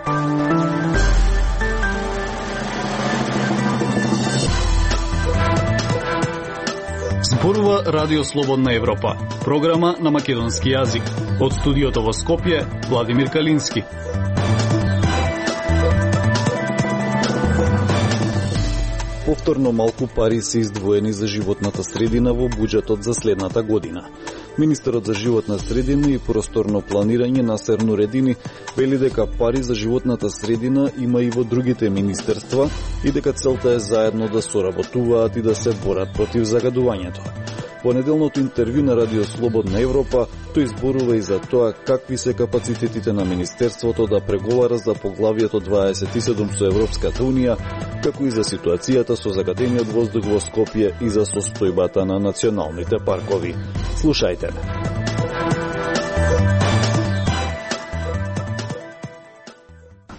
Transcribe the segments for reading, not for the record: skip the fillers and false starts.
Зборува Радио Слободна Европа, програма на македонски јазик. Од студиото во Скопје, Владимир Калински. Повторно малку пари се издвоени за животната средина во буџетот за следната година. Министерот за животна средина и просторно планирање Насер Нуредини вели дека пари за животната средина има и во другите министерства и дека целта е заедно да соработуваат и да се борат против загадувањето. Во неделното интервју на Радио Слободна Европа, тој зборува и за тоа какви се капацитетите на Министерството да преговара за поглавието 27 со Европската Унија, како и за ситуацијата со загадениот воздух во Скопје и за состојбата на националните паркови. Слушајте ме.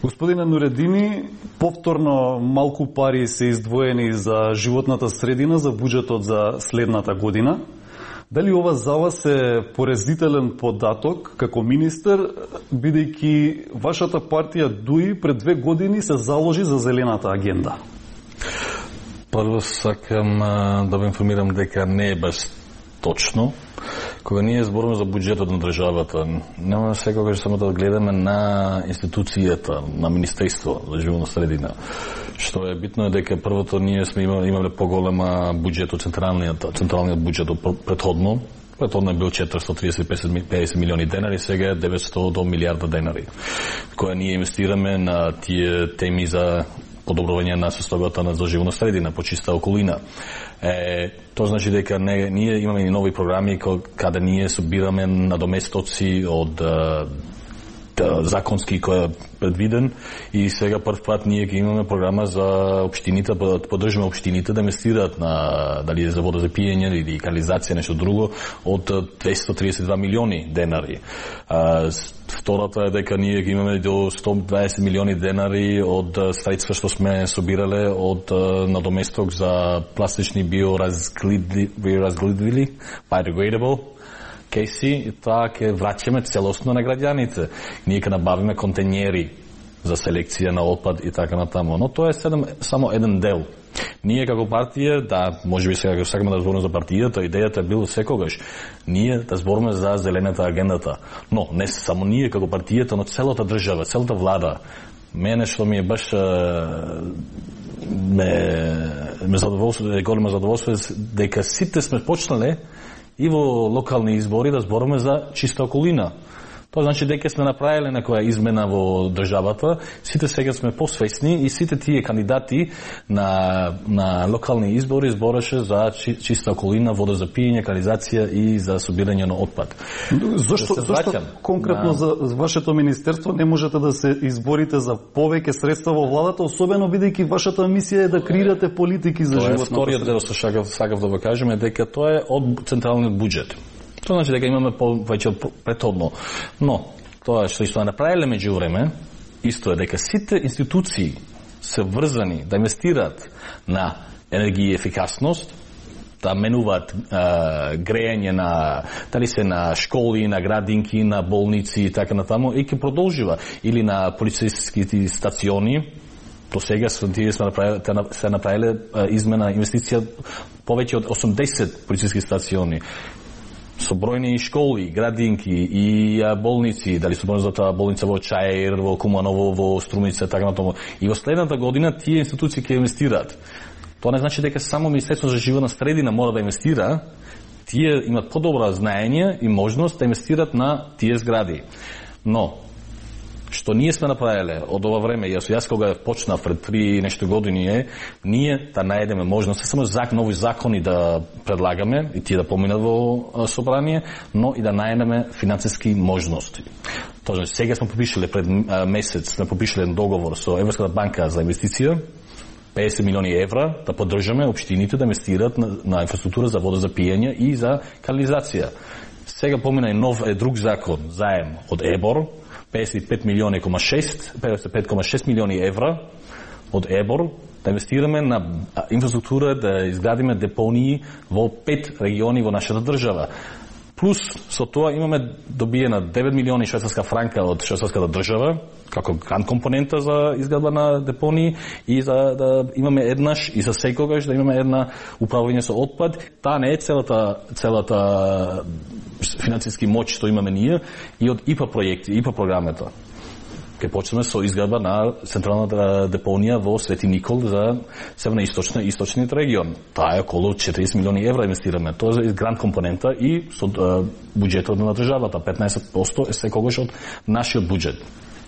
Господине Нуредини, повторно малку пари се издвоени за животната средина за буџетот за следната година. Дали ова за вас е поразителен податок како министер, бидејќи вашата партија ДУИ пред 2 години се заложи за зелената агенда? Прво сакам да ве информирам дека не е баш точно. Кога ние зборуваме за буџетот на државата, нема секогаш само да гледаме на институцијата, на Министерство за животна средина. Што е битно е дека првото ние сме имале поголема буџет од централниот буџет од предходно. Предходно е бил 430-50 милиони денари, сега е 900 до милиарда денари. Која ние инвестираме на тие теми за подобрување на состојбата на животна средина, почиста околина. Тоа значи дека ние имаме и нови програми каде ние собираме надоместоци од законски кој е предвиден и сега прв пат ние ќе имаме програма за општините, да поддржиме општините да инвестираат на дали за вода за пиење или канализација, нешто друго од 232 милиони денари. Втората е дека ние ќе имаме до 120 милиони денари од средства што сме собирале од надоместок за пластични биоразградливи, biodegradable кейси, и тоа ќе враќаме целосно на граѓаните. Ние ќе набавиме контењери за селекција на отпад и така натаму. Но тоа е само еден дел. Ние како партија, да, можеби сега сакаме да збориме за партијата, идејата е била секогаш ние да збориме за зелената агендата. Но не само ние како партијата, но целата држава, целата влада. Мене што ми е баш големо задоволство дека сите сме почнале и во локални избори да збориме за чиста околина. Тоа значи дека сме направиле некоја измена во државата, сите сега сме посвесни и сите тие кандидати на локални избори збореше за чиста околина, вода за пиење, канализација и за собирање на отпад. Зашто конкретно за вашето министерство не можете да се изборите за повеќе средства во владата, особено бидејќи вашата мисија е да креирате политики за животната средина? Вториот дел што сакав да го кажем е дека тоа е од централниот буџет. Тоа значи дека имаме повеќе претhodно. Но, тоа што направиле меѓу време, исто е дека сите институции се врзани да инвестираат на енергија и ефикасност, да менуваат грејање дали се на школи, на градинки, на болници и така натаму, и ќе продолжива. Или на полициските стациони, до сега се направиле измена, инвестиција повеќе од 80 полициски стациони. Со бројни школи, градинки и болници, дали се за таа болница во Чаир, во Куманово, во Струмица, така натаму. И во следната година тие институции ќе инвестираат. Тоа не значи дека само Министерството за животна средина мора да инвестира, тие имат подобра знаење и можност да инвестират на тие згради. Но што ние сме направиле од ова време, јас кога почнав пред 3 нешто години ние да најдеме можност, само нови закони да предлагаме и тие да поминат во собрание, но и да најдеме финансиски можности. Тоа сега сме подпишале пред месец, сме подпишале договор со Европската банка за инвестиција, 50 милиони евра да поддржаме општините да инвестираат на инфраструктура за вода за пиење и за канализација. Сега помина и нов друг закон, заем од ЕБОР, 55,6 милиони евра од ЕБОР да инвестираме на инфраструктура, да изградиме депонии во 5 региони во нашата држава. Плюс со тоа имаме добиена 9 милиони швајцарска франка од швајцарската држава како гранд компонента за изградба на депонии и за да имаме еднаш и за секогаш да имаме една управување со отпад. Таа не е целата финансиски моќ што имаме ние и од ИПА проекти, ИПА програмата. Ке почнеме со изградба на централната депонија во Свети Никол за северно-источна и источниот регион. Таа е околу 40 милиони евра инвестираме. Тоа е гранд компонента и со буџетот на државата 15% е секогаш од нашиот буџет.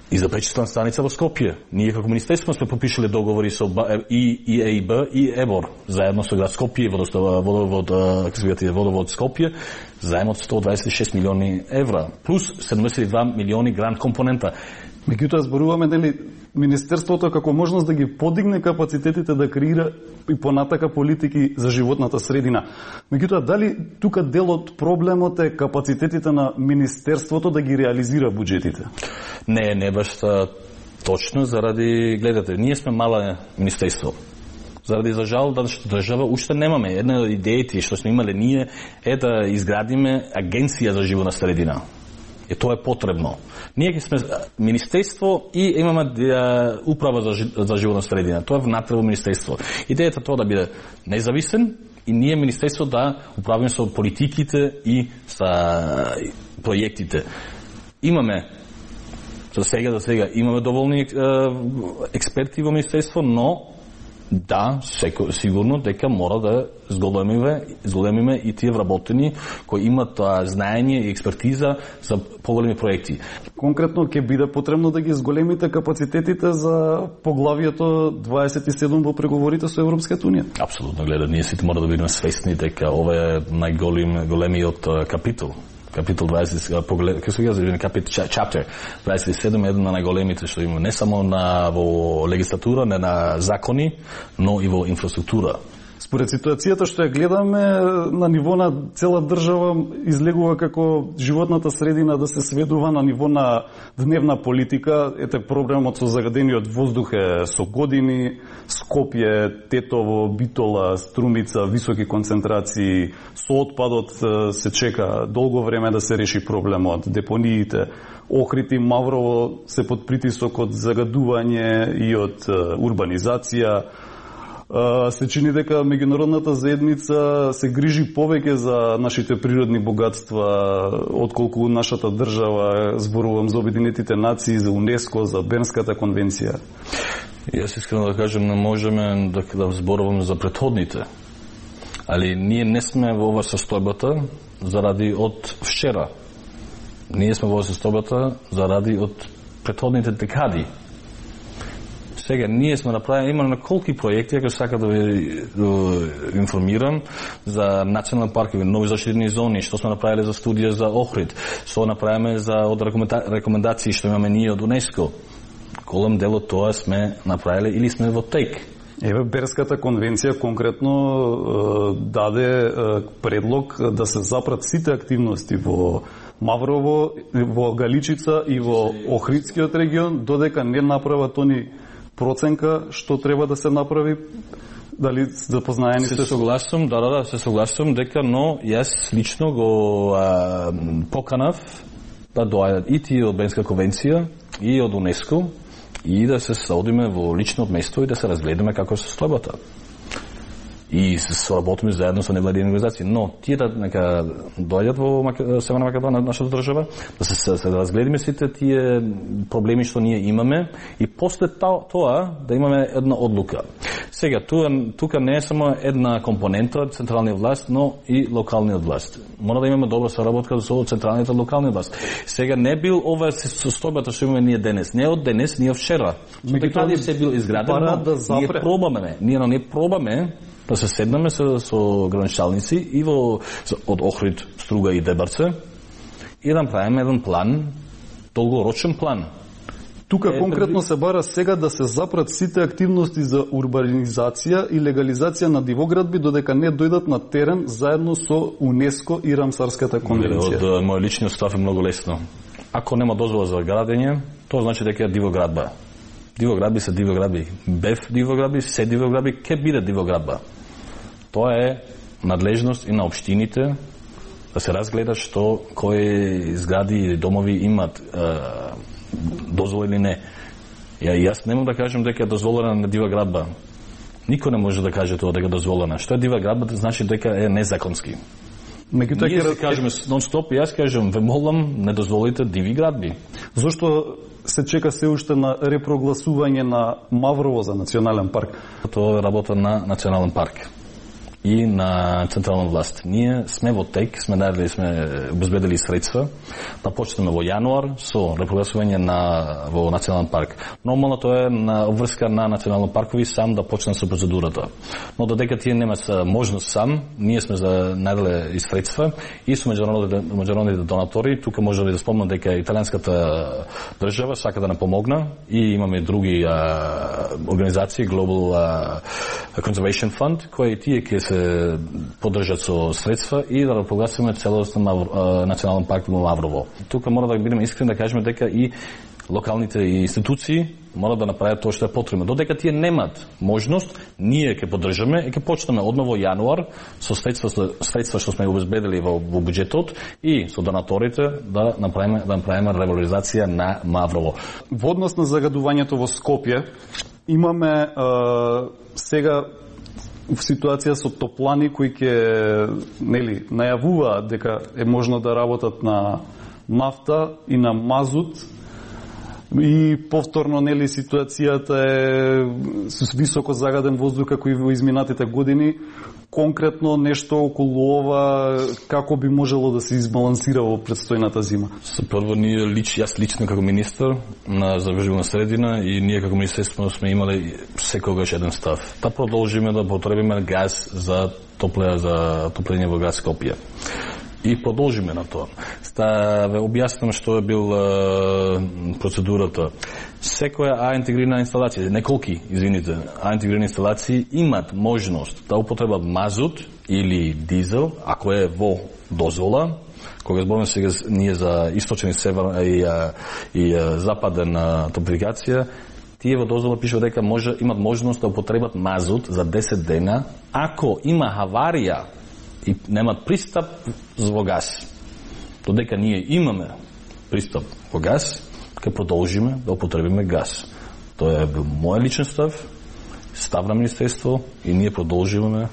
И за пречиствана станица во Скопје. Ние како министерство сме подпишале договори со и ЕИБ и ЕБОР, заедно со град Скопје и водовод Скопје, заемот 126 милиони евра, плюс 72 милиони гранд компонента. Меѓутоа зборуваме дали Министерството како можност да ги подигне капацитетите да креира и понатака политики за животната средина. Меѓутоа дали тука дел од проблемот е капацитетите на Министерството да ги реализира буџетите? Не баш точно, заради, гледате, ние сме мала министерство. Заради, за жал, држава уште немаме. Една од идеите што сме имале ние е да изградиме агенција за животна средина. И тоа е потребно. Ние ќе сме министерство и имаме управа за животна средина. Тоа е внатре во министерство. Идејата тоа да биде независен и ние министерство да управиме со политиките и со проектите. Имаме за сега имаме доволни експерти во министерство, но да, сигурно дека мора да зголемиме и тие вработени кои имат знаење и експертиза за поголеми проекти. Конкретно ќе биде потребно да ги зголемите капацитетите за поглавието 27 во преговорите со Европската унија. Апсолутно, ние сите мора да бидеме свесни дека ова е најголемиот капитол. Капитол 20, chapter 27 е еден на најголемите што има не само во легислатура, не на закони, но и во инфраструктура. Според ситуацијата што ја гледаме на ниво на цела држава излегува како животната средина да се сведува на ниво на дневна политика. Ете проблемот со загадениот воздух е со години. Скопје, Тетово, Битола, Струмица, високи концентрации. Со отпадот се чека долго време да се реши проблемот. Депониите, Охрид и Маврово се под притисок од загадување и од урбанизација. Се чини дека меѓународната заедница се грижи повеќе за нашите природни богатства отколку нашата држава, зборувам за Обединетите нации, за УНЕСКО, за Бернската конвенција. Јас искрено да кажем, не можеме да зборуваме за претходните, али ние не сме во ова состојбата заради од вчера. Ние сме во ова состојбата заради од претходните декади. Сега, ние сме направили, имаме колки проекти, ако сака да ви информирам, за национални паркови, нови заштитени зони, што сме направили за студија за Охрид, што направиме за од рекомендации што имаме ние од УНЕСКО. Голем дел од тоа сме направили или сме во тек. Еве, Бернската конвенција конкретно даде предлог да се запрат сите активности во Маврово, во Галичица и во Охридскиот регион, додека не направат они проценка што треба да се направи. Дали запознаени сте? Се согласувам, се согласувам дека, но јас лично го поканав да доаѓат и тие од Бернска конвенција и од УНЕСКО и да се содиме во лично место и да се разгледаме како се состојбата. И соработиме заедно со невладини организации, но тие да нека доаѓат во Северна Македонија, нашата држава, да се разгледиме сите тие проблеми што ние имаме и после тоа да имаме една одлука. Сега, тука не е само една компонента од централниот власт, но и локалниот власт. Мора да имаме добра соработка со централниот и локалниот власт. Сега не бил ова состојбата што имаме ние денес. Не од денес, не од вчера. Декади се бил изграден, ние не пробаме да се седнаме со граничалници и од Охрид, Струга и Дебарце и да направиме еден план, долгорочен план. Тука конкретно се бара сега да се запрат сите активности за урбанизација и легализација на дивоградби додека не дојдат на терен заедно со УНЕСКО и Рамсарската конвенција. Од мој личниот став е многу лесно. Ако нема дозвола за градење, тоа значи дека е дивоградба. Дивоградби се дивоградби. БЕФ дивоградби, се дивоградби, ке биде дивоградба. Тоа е надлежност и на општините да се разгледа што кои згради или домови имат дозвола или не. Јас не можам да кажем дека е дозволена на дива градба. Никој не може да каже тоа дека е дозволена. Што е дива градба, значи дека е незаконски. Меѓутоа ние кажеме нон-стоп, јас кажам, ве молам, не дозволите диви градби. Зошто се чека се уште на репрогласување на Маврово за национален парк? Тоа е работа на национален парк и на централна власт. Ние сме во тек, сме обезбедили средства да почнеме во јануар со репрогласување во национален парк. Нормално тоа е на обврска на национални паркови сам да почне со процедурата. Но додека тие немаат можност сам, ние сме за најдале и средства и со меѓународните донатори. Тука може да спомнам дека италијанската држава сака да не помогна и имаме други организации, Global Conservation Fund, кои тие ќе се поддржат со средства и да прогласиме целосно национален парк во Маврово. Тука мора да бидеме искрени да кажеме дека и локалните институции мора да направат тоа што е потребно. Додека тие немат можност, ние ќе поддржаме и ќе почнеме одново јануар со средства што сме обезбедили во буџетот и со донаторите да направиме ревалоризација на Маврово. Во однос на загадувањето во Скопје имаме сега в ситуација со топлани кои ќе најавуваат дека е можно да работат на нафта и на мазут и повторно ситуацијата е со високо загаден воздух како и во изминатите години. Конкретно нешто околу ова како би можело да се избалансира во предстојната зима? Прво јас лично како министар за животна средина и ние како министерство сме имале секогаш еден став. Да продолжиме да потребиме газ за топлење во град Скопје. И продолжиме на тоа. Ве објаснам што е бил процедурата. Секоја интегрирана инсталација, неколки, интегрирани инсталации имат можност да употребат мазут или дизел, ако е во дозвола. Кога зборуваме сега ние за источен и север и западен топлификација, тие во дозвола пишува дека имат можност да употребат мазут за 10 дена, ако има аварија и немат пристап во газ. Додека ние имаме пристап во газ, ќе продолжиме да употребиме газ. Тоа е бил мој личен став на министерство и ние продолжиме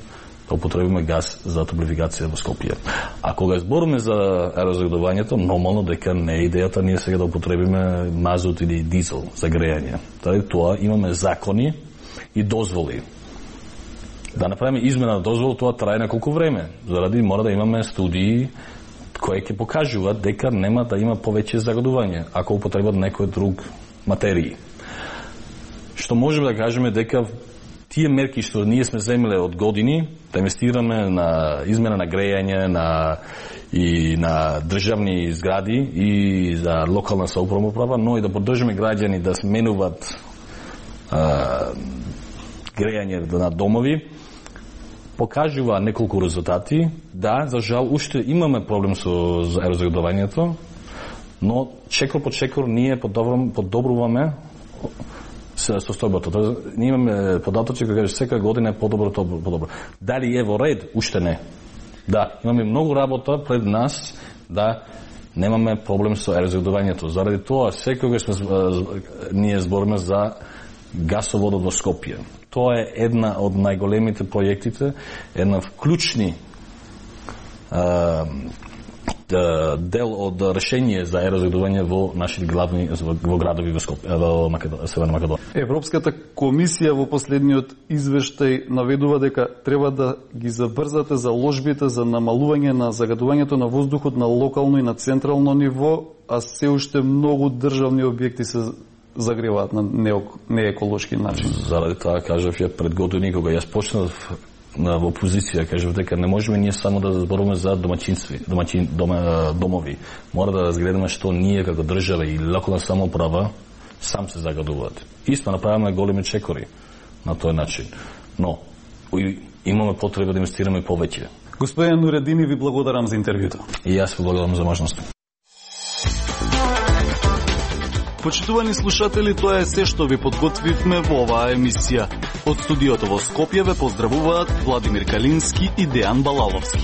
да употребиме газ за топлификација во Скопје. А кога збориме за аерозагадувањето, нормално дека не е идејата ние сега да употребиме мазут или дизел за грејање. Тоа имаме закони и дозволи. Да направиме измена на дозвол, тоа трае неколку време. Заради мора да имаме студии кои ќе покажуваат дека нема да има повеќе загадување ако употребат некој друг материи. Што можеме да кажеме дека тие мерки што ние сме земеле од години, да инвестираме на измена на грејање и на државни згради и за локална самоуправа, но и да поддржиме граѓани да сменуваат грејање на домови, покажува неколку резултати. Да, за жал, уште имаме проблем со аерозагадувањето, но чекор по чекор ние подобруваме состојбата. Ние имаме податоци кои кажат секоја година е подобро. Дали е во ред? Уште не. Да, имаме многу работа пред нас да немаме проблем со аерозагадувањето. Заради тоа секогаш ние збориме за гасоводот во Скопје. Тоа е една од најголемите проектите, една клучни дел од решение за аерозагадување во нашите главни градови во Скопје, во Северна Македонија. Европската комисија во последниот извештај наведува дека треба да ги забрзате заложбите за намалување на загадувањето на воздухот на локално и на централно ниво, а се уште многу државни објекти се загреваат на нееколошки начин. Заради тоа кажав ја пред години кога јас почнав во опозиција, кажав дека не можеме ние само да зборуваме за домови. Мора да разгледаме што ние како држава и локална самоуправа сам се загадуваат. Исто направиме големи чекори на тој начин. Но имаме потреба да инвестираме повеќе. Господин Нуредини, ви благодарам за интервјуто. И јас ви благодарам за можноста. Почитувани слушатели, тоа е се што ви подготвивме во оваа емисија. Од студиото во Скопје ве поздравуваат Владимир Калински и Дејан Балаловски.